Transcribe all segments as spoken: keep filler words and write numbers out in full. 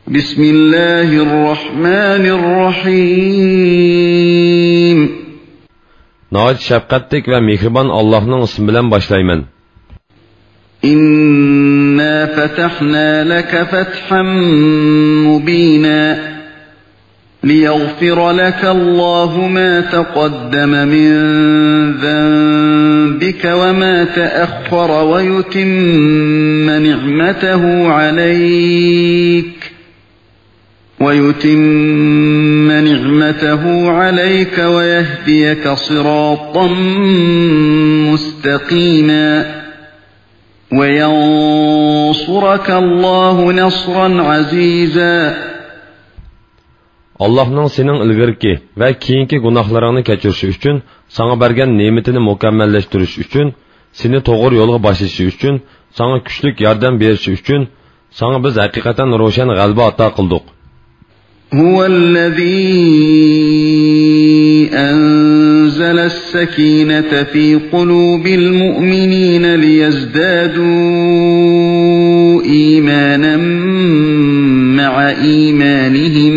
بسم الله الرحمن الرحيم. ناھايىتى شەپقەتلىك ۋە مېھرىبان ئاللاھنىڭ ئىسمى بىلەن باشلايمەن. إنا فتحنا لك فتحا مبينا. ليغفر لك الله ما تقدم من ذنبك وما تأخر ويتم نعمته عليك، ويتم نعمته عليك ويهديك صراطا مستقيما. وينصرك الله نصرا عزيزا. ئاللاھنىڭ سېنىڭ ئىلگىرىكى ۋە كېيىنكى گۇناھلىرىڭنى كەچۈرۈشى ئۈچۈن، ساڭا بەرگەن نېمىتىنى مۇكەممەللەشتۈرۈشى ئۈچۈن، سېنى توغرا يولغا باشلىشى ئۈچۈن، ساڭا كۈچلۈك ياردەم بېرىشى ئۈچۈن، ساڭا بىز ھەقىقەتەن روشەن غەلىبە ئاتا قىلدۇق. هو الذي أنزل السكينة في قلوب المؤمنين ليزدادوا إيمانا مع إيمانهم،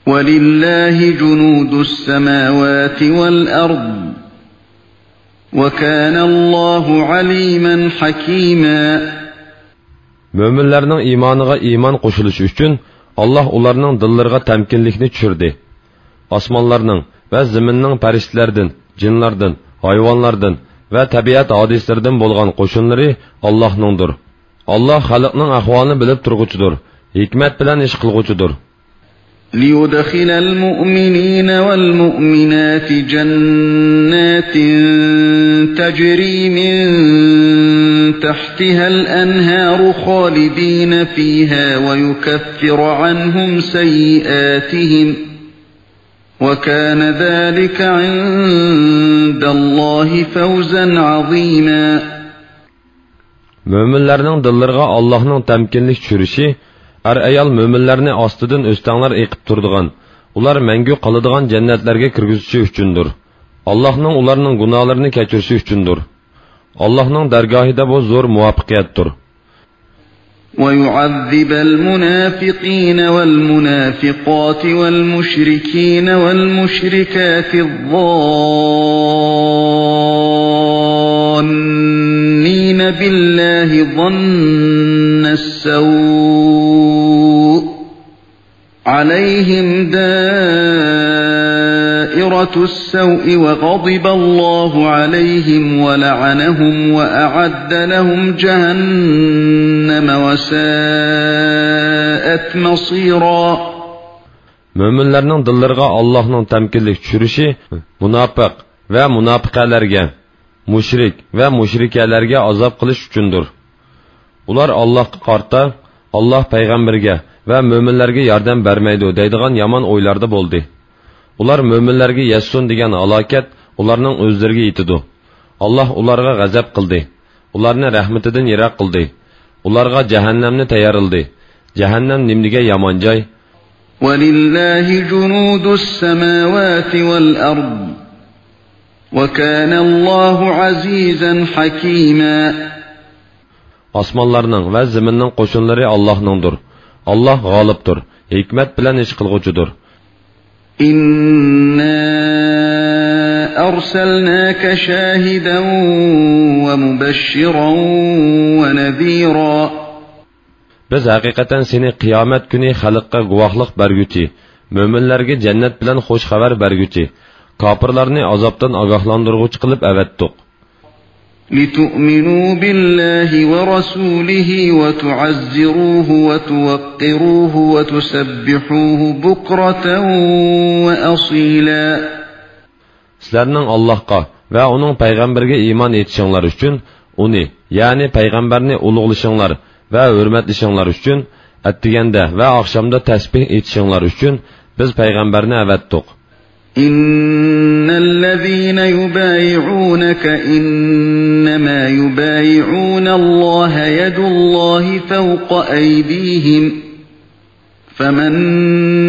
ولله جنود السماوات والأرض، وكان الله عليما حكيما. مۆمىنلەرنىڭ ئىمانىغا ئىمان قوشۇلۇشى ئۈچۈن، ئاللاھ ئۇلارنىڭ دىللىرىغا تەمكىنلىكنى چۈشۈردى. ئاسمانلارنىڭ ۋە زېمىننىڭ پەرىشتىلەردىن، جىنلاردىن، ھايۋانلاردىن ۋە تەبىئەت ھادىسىلىرىدىن بولغان قوشۇنلىرى ئاللاھنىڭدۇر. ئاللاھ خەلقنىڭ ئەھۋالىنى بىلىپ تۇرغۇچىدۇر، ھېكمەت بىلەن ئىش قىلغۇچىدۇر. ليدخل المؤمنين والمؤمنات جنات تجري من تحتها الأنهار خالدين فيها ويكفر عنهم سيئاتهم، وكان ذلك عند الله فوزا عظيما. مۆمىنلەرنىڭ دىللىرىغا ئاللاھنىڭ تەمكىنلىك چۈشۈرۈشى، ئەر-ئايال مۆمىنلەرنى ئاستىدىن ئۆستەڭلەر ئېقىپ تۇرىدىغان، ئۇلار مەڭگۈ قالىدىغان جەننەتلەرگە كىرگۈزۈشى ئۈچۈندۇر. ئاللاھنىڭ ئۇلارنىڭ گۇناھلىرىنى كەچۈرۈشى ئۈچۈندۇر. ئاللاھنىڭ دەرگاھىدا بۇ زور مۇۋەپپەقىيەتتۇر. ويعذب المنافقين والمنافقات والمشركين والمشركات الظانين بالله ظن السوء، عليهم دائرة السوء وغضب الله عليهم ولعنهم وأعد لهم جهنم وساءت مصيرا. مۆمىنلەرنىڭ دىللىرىغا ئاللاھنىڭ تەمكىنلىك چۈشۈرۈشى مۇناپىق ۋە مۇناپىقەلەرگە، مۇشرىك ۋە مۇشرىكەلەرگە ئازاب قىلىش ئۈچۈندۇر. ئۇلار ئاللاھقا قارىتا، ئاللاھ پەيغەمبىرىگە ۋە مۆمىنلەرگە ياردەم بەرمەيدۇ دەيدىغان يامان ئويلاردا بولدى. ئۇلار مۆمىنلەرگە يەتسۇن دېگەن ھالاكەت ئۇلارنىڭ ئۆزلىرىگە يېتىدۇ. ئاللاھ ئۇلارغا غەزەپ قىلدى. ئۇلارنى رەھمىتىدىن يىراق قىلدى. ئۇلارغا جەھەننەمنى تەييارلىدى. جەھەننەم نېمىدېگەن يامان جاي! ولله جنود السماوات والأرض، وكان الله عزيزا حكيما. ئاسمانلارنىڭ ۋە زېمىننىڭ قوشۇنلىرى ئاللاھنىڭدۇر. ئاللاھ غالىبتۇر، ھېكمەت بىلەن ئىش قىلغۇچىدۇر. إنا أرسلناك شاهدا ومبشرا ونذيرا. بىز ھەقىقەتەن سېنى قىيامەت كۈنى خەلققە گۇۋاھلىق بەرگۈچى، مۆمىنلەرگە جەننەت بىلەن خۇش خەۋەر بەرگۈچى، كاپىرلارنى ئازابتىن ئاگاھلاندۇرغۇچى قىلىپ ئەۋەتتۇق. لتؤمنوا بالله ورسوله وتعزروه وتوقروه وتسبحوه بكرة وأصيلا. سىلەرنىڭ ئاللاھقا ۋە ئۇنىڭ پەيغەمبىرىگە ئىمان ئېيتىشىڭلار ئۈچۈن، ئۇنى، يەنى پەيغەمبەرنى ئۇلۇغلىشىڭلار ۋە ھۆرمەتلىشىڭلار ئۈچۈن، ئەتىگەندە ۋە ئاخشامدا تەسبىھ ئېيتىشىڭلار ئۈچۈن بىز پەيغەمبەرنى ئەۋەتتۇق. إن الذين يبايعونك إنما يبايعون الله يد الله فوق أيديهم، فمن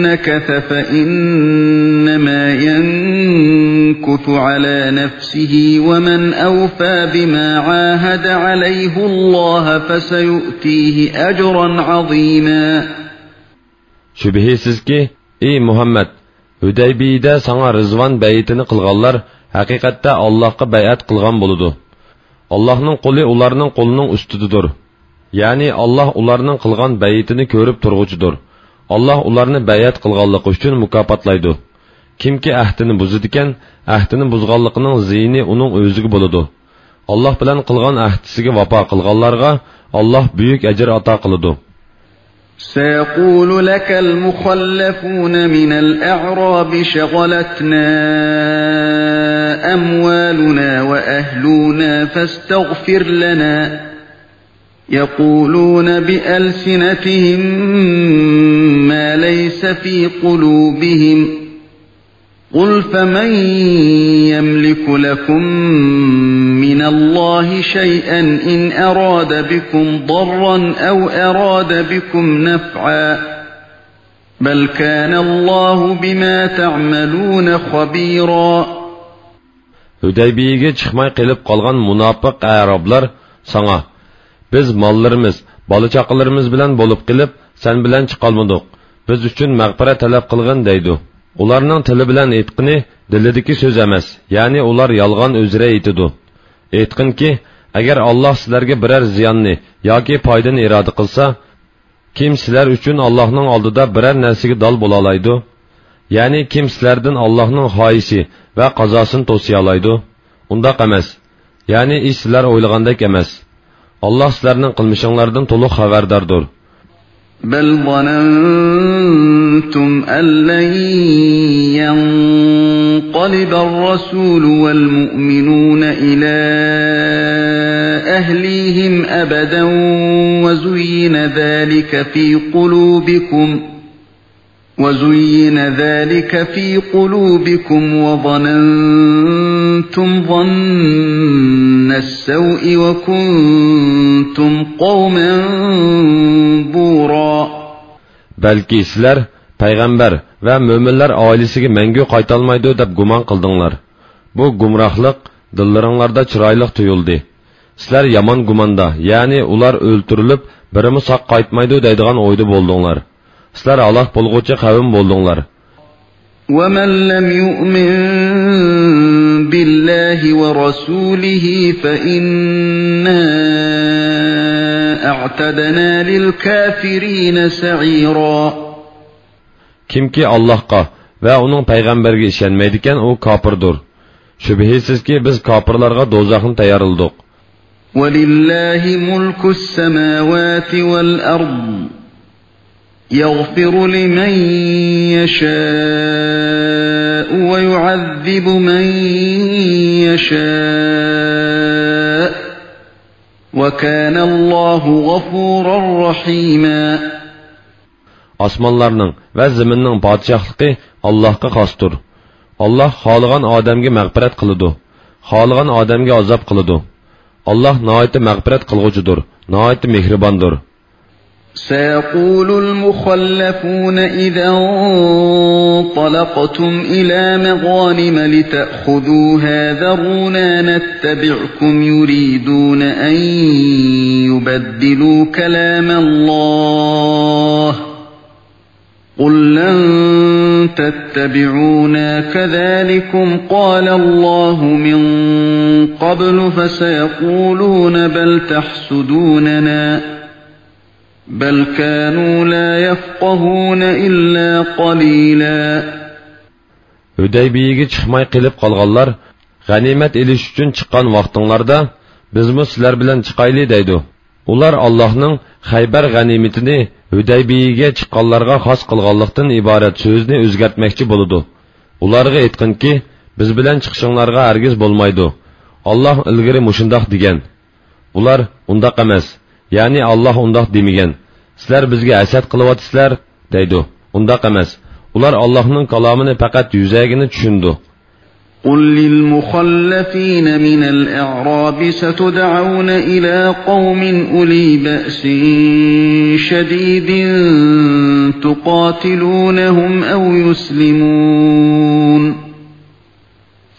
نكث فإنما ينكث على نفسه، ومن أوفى بما عاهد عليه الله فسيؤتيه أجرا عظيما. شۈبھىسىزكى، ئى مۇھەممەد، ھۈدەيبىيىدە ساڭا رىزۋان بەيئىتىنى قىلغانلار ھەقىقەتتە ئاللاھقا بەيئەت قىلغان بولىدۇ. ئاللاھنىڭ قولى ئۇلارنىڭ قولىنىڭ ئۈستىدىدۇر. يەنى ئاللاھ ئۇلارنىڭ قىلغان بەيئىتىنى كۆرۈپ تۇرغۇچىدۇر. ئاللاھ ئۇلارنى بەيئەت قىلغانلىقى ئۈچۈن مۇكاپاتلايدۇ. كىمكى ئەھدىنى بۇزىدىكەن، ئەھدىنى بۇزغانلىقىنىڭ زىيىنى ئۇنىڭ ئۆزىگە بولىدۇ. ئاللاھ بىلەن قىلغان ئەھدىسىگە ۋاپا قىلغانلارغا ئاللاھ بۈيۈك ئەجىر ئاتا قىلىدۇ. سيقول لك المخلفون من الأعراب شغلتنا أموالنا وأهلنا فاستغفر لنا، يقولون بألسنتهم ما ليس في قلوبهم، قل فمن يملك لكم من الله شيئا إن أراد بكم ضرا أو أراد بكم نفعا، بل كان الله بما تعملون خبيرا. ھۈدەيبىيىگە چىقماي قېلىپ قالغان مۇناپىق ئەرابلار ساڭا، بىز ماللىرىمىز، بالا-چاقىلىرىمىز بىلەن بولۇپ قېلىپ، سەن بىلەن چىقالمىدۇق. بىز ئۈچۈن مەغپىرەت تەلەپ قىلغىن دەيدۇ. ئۇلارنىڭ تىلى بىلەن ئېيتقىنى دىلىدىكى سۆز ئەمەس، يەنى ئۇلار يالغان ئۆزرە ئېيتىدۇ. ئېيتقىنكى، ئەگەر ئاللاھ سىلەرگە بىرەر زىياننى ياكى پايدىنى ئىرادە قىلسا، كىم سىلەر ئۈچۈن ئاللاھنىڭ ئالدىدا بىرەر نەرسىگە دال بولالايدۇ؟ يەنى كىم سىلەردىن ئاللاھنىڭ خاھىشى ۋە قازاسىنى توسىيالايدۇ؟ ئۇنداق ئەمەس. يەنى ئىش سىلەر ئويلىغاندەك ئەمەس. ئاللاھ سىلەرنىڭ قىلمىشىڭلاردىن تولۇق خەۋەرداردۇر. بل ظننتم أن لن ينقلب الرسول والمؤمنون إلى أهليهم أبدا وزين ذلك في قلوبكم وزين ذلك في قلوبكم وظننتم ظن السوء وكنتم قوما بورا. بەلكى سىلەر پەيغەمبەر ۋە مۆمىنلەر ئائىلىسىگە مەڭگۈ قايتالمايدۇ دەپ گۇمان قىلدىڭلار. بۇ گۇمراھلىق دىللىرىڭلاردا چىرايلىق تۇيۇلدى. سىلەر يامان گۇماندا، يەنى ئۇلار ئۆلتۈرۈلۈپ، بىرىمۇ ساق قايتمايدۇ دەيدىغان ئويدا بولدۇڭلار. سىلەر ھالاك بولغۇچى قەۋم بولدۇڭلار. ومن لم يؤمن بالله ورسوله فإنا أعتدنا للكافرين سعيرا. كىمكى ئاللاھقا ۋە ئۇنىڭ پەيغەمبىرىگە ئىشەنمەيدىكەن، ئۇ كاپىردۇر. شۈبھىسىزكى، بىز كاپىرلارغا دوزاخنى تەييارلىدۇق. ولله ملك السماوات والأرض يغفر لمن يشاء ويعذب من يشاء وكان الله غفورا رحيما. ئاسمانلارنىڭ ۋە زېمىننىڭ پادىشاھلىقى ئاللاھقا خاستۇر. ئاللاھ خالىغان ئادەمگە مەغپىرەت قىلىدۇ، خالىغان ئادەمگە ئازاب قىلىدۇ. ئاللاھ ناھايىتى مەغپىرەت قىلغۇچىدۇر، ناھايىتى مېھرىباندۇر. سيقول المخلفون إذا انطلقتم إلى مغانم لتأخذوها ذرونا نتبعكم يريدون أن يبدلوا كلام الله قل لن تتبعونا كذلكم قال الله من قبل فسيقولون بل تحسدوننا بل كانوا لا يفقهون إلا قليلا. ھۈدەيبىيىگە چىقماي قېلىپ قالغانلار، غەنىيمەت ئېلىش ئۈچۈن چىققان ۋاقتىڭلاردا، بىزمۇ سىلەر بىلەن چىقايلى دەيدۇ. ئۇلار ئاللاھنىڭ خەيبەر غەنىيمىتىنى ھۈدەيبىيىگە چىققانلارغا خاس قىلغانلىقتىن ئىبارەت سۆزنى ئۆزگەرتمەكچى بولىدۇ. ئۇلارغا ئېيتقىنكى، بىز بىلەن چىقىشىڭلارغا ھەرگىز بولمايدۇ. ئاللاھ ئىلگىرى مۇشۇنداق دېگەن. ئۇلار، ئۇنداق ئەمەس، يەنى ئاللاھ ئۇنداق دېمىگەن، سىلەر بىزگە ھەسەت قىلىۋاتىسىلەر دەيدۇ. ئۇنداق ئەمەس. ئۇلار ئاللاھنىڭ كالامىنى پەقەت يۈزەگىنە چۈشىنىدۇ. قل للمخلفين من الأعراب ستدعون إلى قوم أولي بأس شديد تقاتلونهم أو يسلمون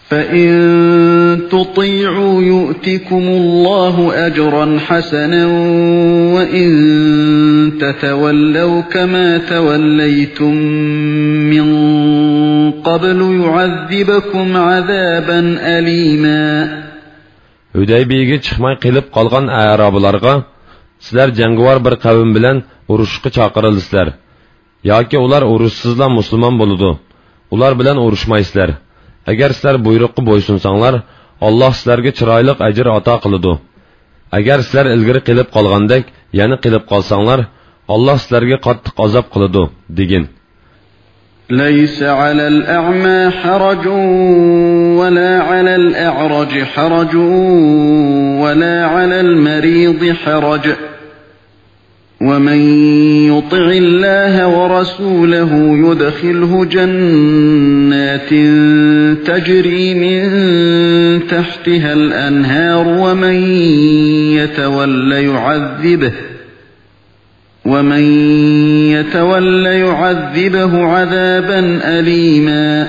فإن تطيعوا يؤتكم الله أجرا حسنا وإن تتولوا كما توليتم من قبل يعذبكم عذابا أليما. ھۇدەيبىيەگە چىقماي قېلىپ قالغان ئەرابلارغا، سىلەر جەڭگىۋار بىر قەۋم بىلەن ئۇرۇشقا چاقىرىلىسىلەر. ياكى ئۇلار ئۇرۇشسىزلا مۇسۇلمان بولىدۇ. ئۇلار بىلەن ئۇرۇشمايسىلەر. ئەگەر سىلەر بۇيرۇققا بويسۇنساڭلار، ئاللاھ سىلەرگە چىرايلىق ئەجىر ئاتا قىلىدۇ. ئەگەر سىلەر ئىلگىرى قېلىپ قالغاندەك يەنە قېلىپ قالساڭلار، ئاللاھ سىلەرگە قاتتىق ئازاب قىلىدۇ، دېگىن. ليس على الأعمى حرج ولا على الأعرج حرج ولا على المريض حرج ومن يطع الله ورسوله يدخله جنات تجري من تحتها الأنهار ومن يتول يعذبه ومن يتول يعذبه عذابا أليما.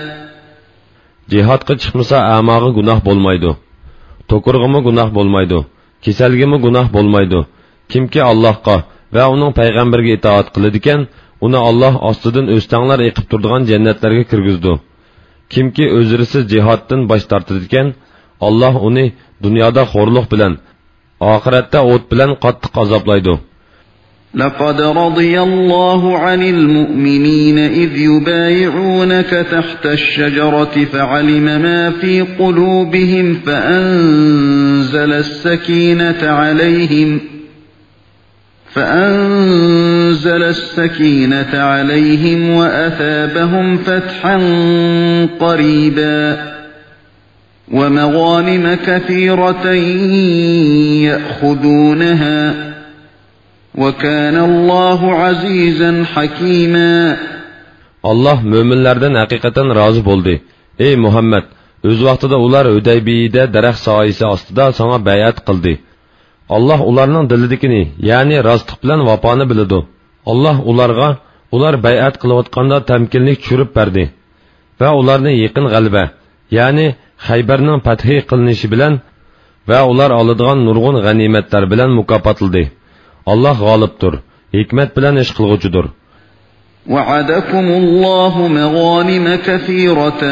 جىھادقا چىقمىسا ئەماغا گۇناھ بولمايدۇ. توكۇرغىمۇ گۇناھ بولمايدۇ. كېسەلگىمۇ گۇناھ بولمايدۇ. كىمكى ئاللاھقا ۋە ئۇنىڭ پەيغەمبىرىگە ئىتائەت قىلىدىكەن، ئۇنى ئاللاھ ئاستىدىن ئۆستەڭلار ئېقىپ تۇرىدىغان جەننەتلەرگە كىرگۈزىدۇ. كىمكى ئۆزرىسىز جىھادتىن باش تارتىدىكەن، ئاللاھ ئۇنى دۇنيادا خورلۇق بىلەن، ئاخىرەتتە ئوت بىلەن قاتتىق ئازابلايدۇ. لقد رضي الله عن المؤمنين إذ يبايعونك تحت الشجرة فعلم ما في قلوبهم فأنزل السكينة عليهم فأنزل السكينة عليهم وأثابهم فتحا قريبا ومغانم كثيرة يأخذونها وكان الله عزيزا حكيما. ئاللاھ مۆمىنلەردىن ھەقىقەتەن رازى بولدى. ئەي مۇھەممەد، ئۆز ۋاقتىدا ئۇلار ھۇدەيبىيەدە دەرەخ سايىسى ئاستىدا ساڭا بەيئەت قىلدى. ئاللاھ ئۇلارنىڭ دىلىدىكىنى، يەنى راستلىق بىلەن ۋاپانى بىلىدۇ. ئاللاھ ئۇلارغا ئۇلار بەيئەت قىلىۋاتقاندا تەمكىنلىك چۈشۈرۈپ بەردى ۋە ئۇلارنى يېقىن غەلىبە، يەنى خەيبەرنىڭ پەتھى قىلىنىشى بىلەن ۋە ئۇلار ئالىدىغان نۇرغۇن غەنىيمەتلەر بىلەن مۇكاپاتلىدى. ئاللاھ غالىبتۇر، ھېكمەت بىلەن ئىش قىلغۇچىدۇر. وعدكم الله مغانم كثيرة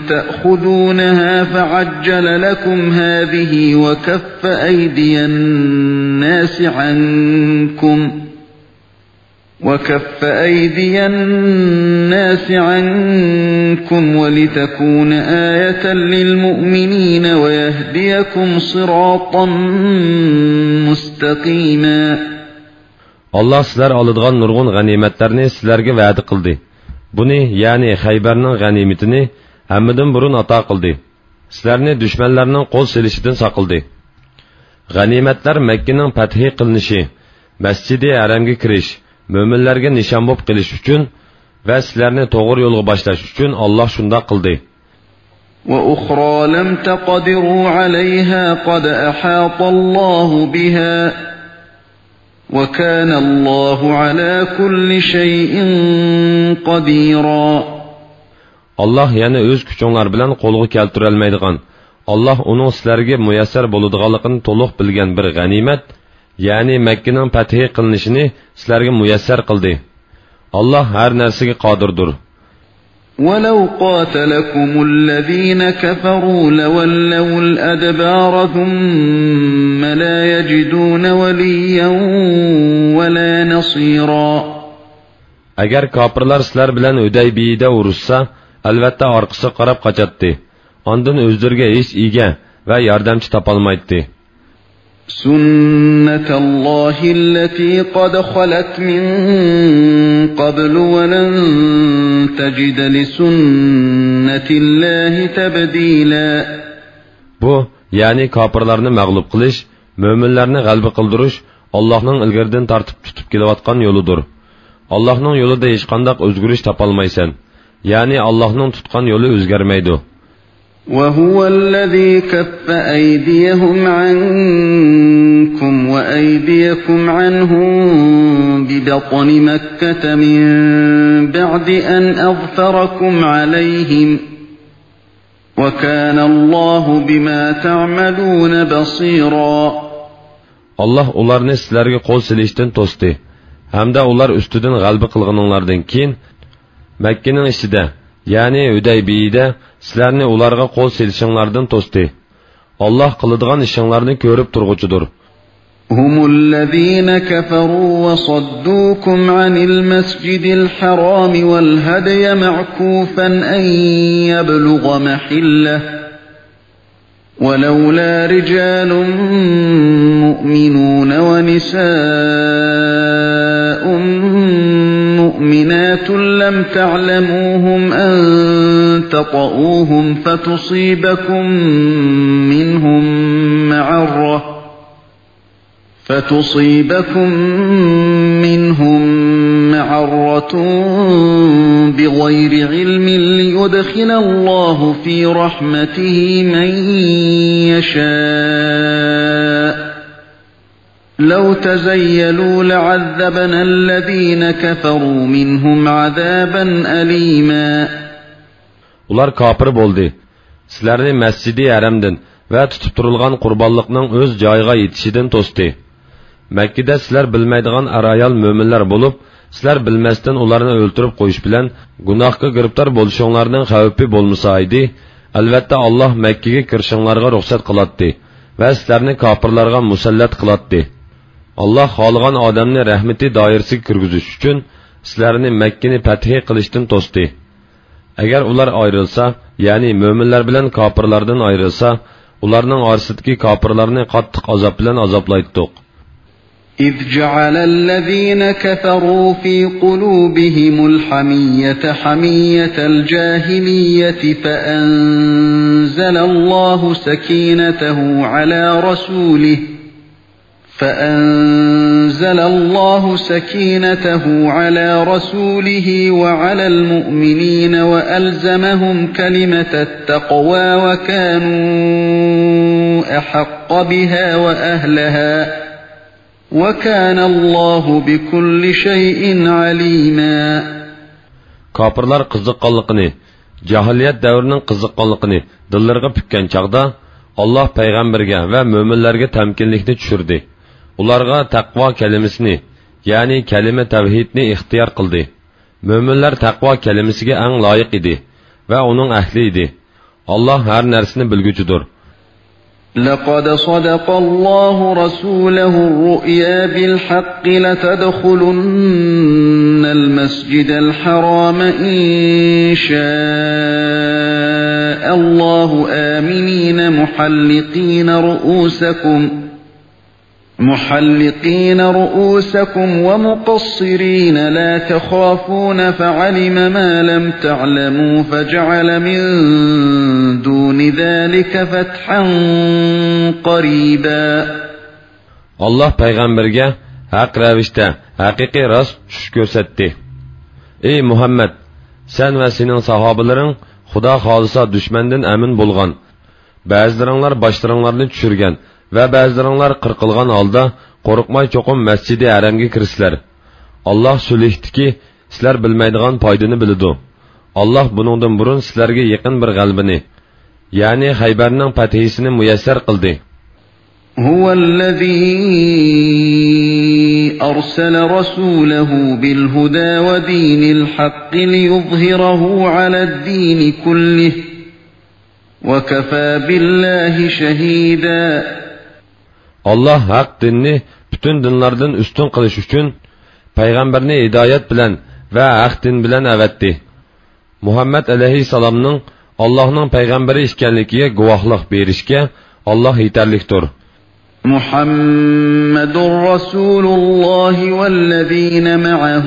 تأخذونها فعجل لكم هذه وكف أيدي الناس عنكم وكف أيدي الناس عنكم ولتكون آية للمؤمنين ويهديكم صراطا مستقيما. ئاللاھ سىلەر ئالىدىغان نۇرغۇن غەنىيمەتلەرنى سىلەرگە ۋەدە قىلدى. بۇنى، يەنى خەيبەرنىڭ غەنىيمىتىنى ھەممىدىن بۇرۇن ئاتا قىلدى. سىلەرنى دۈشمەنلەرنىڭ قول سېلىشىدىن ساقلىدى. غەنىيمەتلەر مەككىنىڭ پەتھى قىلىنىشى، مەسچىدى ھەرەمگە كىرىش، مۆمىنلەرگە نىشان بولۇپ قېلىش ئۈچۈن ۋە سىلەرنى توغرا يولغا باشلاش ئۈچۈن ئاللاھ شۇنداق قىلدى. وأخرى لم تقدروا عليها قد أحاط الله بها وكان الله على كل شيء قديرا. ئاللاھ يەنە ئۆز كۈچۈڭلار بىلەن قولغا كەلتۈرەلمەيدىغان، ئاللاھ ئۇنىڭ سىلەرگە مۇيەسسەر بولىدىغانلىقىنى تولۇق بىلگەن بىر غەنىيمەت، يەنى مەككىنىڭ پەتھى قىلىنىشىنى سىلەرگە مۇيەسسەر قىلدى. ئاللاھ ھەر نەرسىگە قادىردۇر. ولو قاتلكم الذين كفروا لولوا الأدبار ثم لا يجدون وليا ولا نصيرا. ئەگەر كاپىرلار سىلەر بىلەن ھۇدەيبىيەدە ئۇرۇشسا، ئەلۋەتتە ئارقىسىغا قاراپ قاچاتتى. ئاندىن ئۆزلىرىگە ھېچ ئىگە ۋە ياردەمچى تاپالمايتتى. سنة الله التي قد خلت من قبل ولن تجد لسنة الله تبديلا. بۇ، يەنى كاپىرلارنى مەغلۇپ قىلىش، مۆمىنلەرنى غەلىبە قىلدۇرۇش ئاللاھنىڭ ئىلگىرىدىن تارتىپ تۇتۇپ كېلىۋاتقان يولىدۇر. ئاللاھنىڭ يولىدا ھېچقانداق ئۆزگىرىش تاپالمايسەن. يەنى ئاللاھنىڭ تۇتقان يولى ئۆزگەرمەيدۇ. وهو الذي كف أيديهم عنكم وأيديكم عنهم ببطن مكة من بعد أن أظفركم عليهم وكان الله بما تعملون بصيرا. ئاللاھ ئۇلارنى سىلەرگە قول سېلىشتىن توستى ھەمدە ئۇلار ئۈستىدىن غەلىبە قىلغىنىڭلاردىن كېيىن مەككىنىڭ ئىچىدە، يەنى ھۈدەيبىيىدە سىلەرنى ئۇلارغا قول سېلىشىڭلاردىن توستى. ئاللاھ قىلىدىغان ئىشىڭلارنى كۆرۈپ تۇرغۇچىدۇر. هم الذين كفروا وصدوكم عن المسجد الحرام والهدي معكوفا أن يبلغ محله، ولولا رجال مؤمنون ونساء مؤمنات لم تعلموهم أن تطئوهم فتصيبكم منهم معرة فتصيبكم منهم معرة بغير علم ليدخل الله في رحمته من يشاء، لو تزيلوا لعذبنا الذين كفروا منهم عذابا أليما. ئۇلار كاپىر بولدى. سىلەرنى مەسجىدى ھەرەمدىن ۋە تۇتۇپ تۇرۇلغان قۇربانلىقنىڭ ئۆز جايىغا يېتىشىدىن توستى. مەككىدە سىلەر بىلمەيدىغان ئەر-ئايال مۆمىنلەر بولۇپ، سىلەر بىلمەستىن ئۇلارنى ئۆلتۈرۈپ قويۇش بىلەن گۇناھقا گىرىپتار بولۇشۇڭلارنىڭ خەۋپى بولمىسا ئىدى، ئەلۋەتتە، ئاللاھ مەككىگە كىرىشىڭلارغا رۇخسەت قىلاتتى ۋە سىلەرنى كاپىرلارغا مۇسەللەت قىلاتتى. ئاللاھ خالىغان ئادەمنى رەھمىتى دائىرىسىگە كىرگۈزۈش ئۈچۈن سىلەرنى مەككىنى پەتھى قىلىشتىن توستى. ئەگەر ئۇلار ئايرىلسا، يەنى مۆمىنلەر بىلەن كاپىرلاردىن ئايرىلسا، ئۇلارنىڭ ئارىسىدىكى كاپىرلارنى قاتتىق ئازاب بىلەن ئازابلايتتۇق. إذ جعل الذين كفروا في قلوبهم الحمية حمية الجاهلية فأنزل الله سكينته على رسوله فأنزل الله سكينته على رسوله وعلى المؤمنين وألزمهم كلمة التقوى وكانوا أحق بها وأهلها وكان الله بكل شيء عليما. كاپىرلار قىزىققانلىقىنى، جاھىلىيەت دەۋرىنىڭ قىزىققانلىقىنى دىللىرىغا پۈككەن چاغدا، ئاللاھ پەيغەمبەرگە ۋە مۆمىنلەرگە تەمكىنلىكنى چۈشۈردى. ئۇلارغا تەقۋا كەلىمىسىنى، يەنى كەلىمە تەۋھىدنى ئىختىيار قىلدى. مۆمىنلەر تەقۋا كەلىمىسىگە ئەڭ لايىق ئىدى ۋە ئۇنىڭ ئەھلى ئىدى. ئاللاھ ھەر نەرسىنى بىلگۈچىدۇر. لقد صدق الله رسوله الرؤيا بالحق لتدخلن المسجد الحرام إن شاء الله آمنين محلقين رؤوسكم محلقين رؤوسكم ومقصرين لا تخافون فعلم ما لم تعلموا فجعل من دون ذلك فتحا قريبا. ئاللاھ پەيغەمبەرگە ھەق رەۋىشتە ھەقىقىي راست چۈش كۆرسەتتى. ئەي مۇھەممەد، سەن ۋە سېنىڭ ساھابىلىرىڭ خۇدا خالىسا دۈشمەندىن ئەمىن بولغان، بەزىلىرىڭلار باشلىرىڭلارنى چۈشۈرگەن ۋە بەزىلىرىڭلار قىرقىلغان ھالدا قورقماي چوقۇم مەسجىدى ھەرەمگە كىرىسىلەر. ئاللاھ سۈلھتىكى سىلەر بىلمەيدىغان پايدىنى بىلىدۇ. ئاللاھ بۇنىڭدىن بۇرۇن سىلەرگە يېقىن بىر غەلىبىنى، يەنى خەيبەرنىڭ پەتھىسىنى مۇيەسسەر قىلدى. هو الذي أرسل رسوله بالهدى ودين الحق ليظهره على الدين كله وكفى بالله شهيدا. ئاللاھ ھەق دىننى پۈتۈن دىنلاردىن ئۈستۈن قىلىش ئۈچۈن پەيغەمبەرنى ھىدايەت بىلەن ۋە ھەق دىن بىلەن ئەۋەتتى. مۇھەممەد ئەلەيھىسسالامنىڭ ئاللاھنىڭ پەيغەمبىرى ئىكەنلىكىگە گۇۋاھلىق بېرىشكە ئاللاھ يېتەرلىكتۇر. محمد رسول الله والذين معه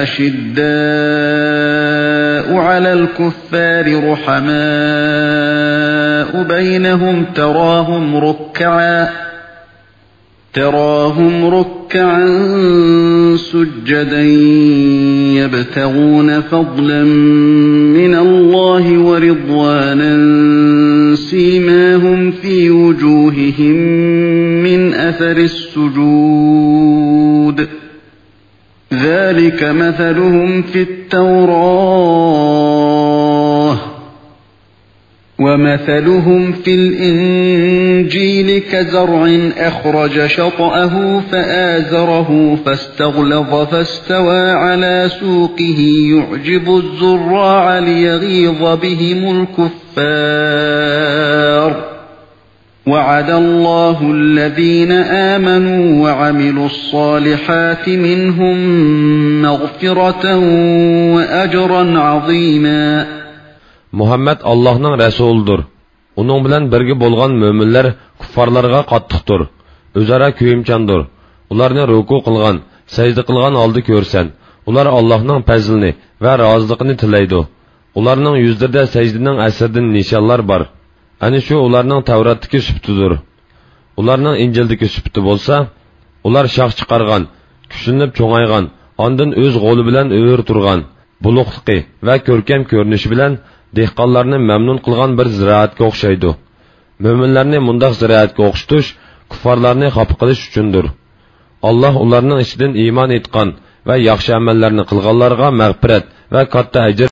أشداء على الكفار رحماء بينهم تراهم ركعا تراهم ركعا سجدا يبتغون فضلا من الله ورضوانا سيماهم في وجوههم من أثر السجود ذلك مثلهم في التوراة ومثلهم في الإنجيل كزرع أخرج شطأه فآزره فاستغلظ فاستوى على سوقه يعجب الزراع ليغيظ بهم الكفار. وعد الله الذين آمنوا وعملوا الصالحات منهم مغفرة وأجرا عظيما. مۇھەممەد ئاللاھنىڭ رەسۇلىدۇر. ئۇنىڭ بىلەن بىرگە بولغان مۆمىنلەر كۇففارلارغا قاتتىقتۇر، ئۆزئارا كۆيۈمچاندۇر. ئۇلارنى رۇكۇ قىلغان، سەجدە قىلغان ھالدا كۆرسەن، ئۇلار ئاللاھنىڭ پەزلىنى ۋە رازىلىقىنى تىلەيدۇ. ئۇلارنىڭ يۈزلىرىدە سەجدىنىڭ ئەسىرىدىن نىشانلار بار. ئەنە شۇ ئۇلارنىڭ تەۋراتتىكى سۈپىتىدۇر. ئۇلارنىڭ ئىنجىلدىكى سۈپىتى بولسا، ئۇلار شاخ چىقارغان، كۈچلىنىپ چوڭايغان، ئاندىن ئۆز غولى بىلەن ئۆرە تۇرغان، بولۇقلۇقى ۋە كۆركەم كۆرۈنۈشى بىلەن دېھقانلارنى مەمنۇن قىلغان بىر زىرائەتكە ئوخشايدۇ. مۆمىنلەرنى مۇنداق زىرائەتكە ئوخشىتىش كۇففارلارنى خاپا قىلىش ئۈچۈندۇر. ئاللاھ ئۇلارنىڭ ئىچىدىن ئىمان ئېيتقان ۋە ياخشى ئەمەللەرنى قىلغانلارغا مەغپىرەت ۋە كاتتا ئەجىر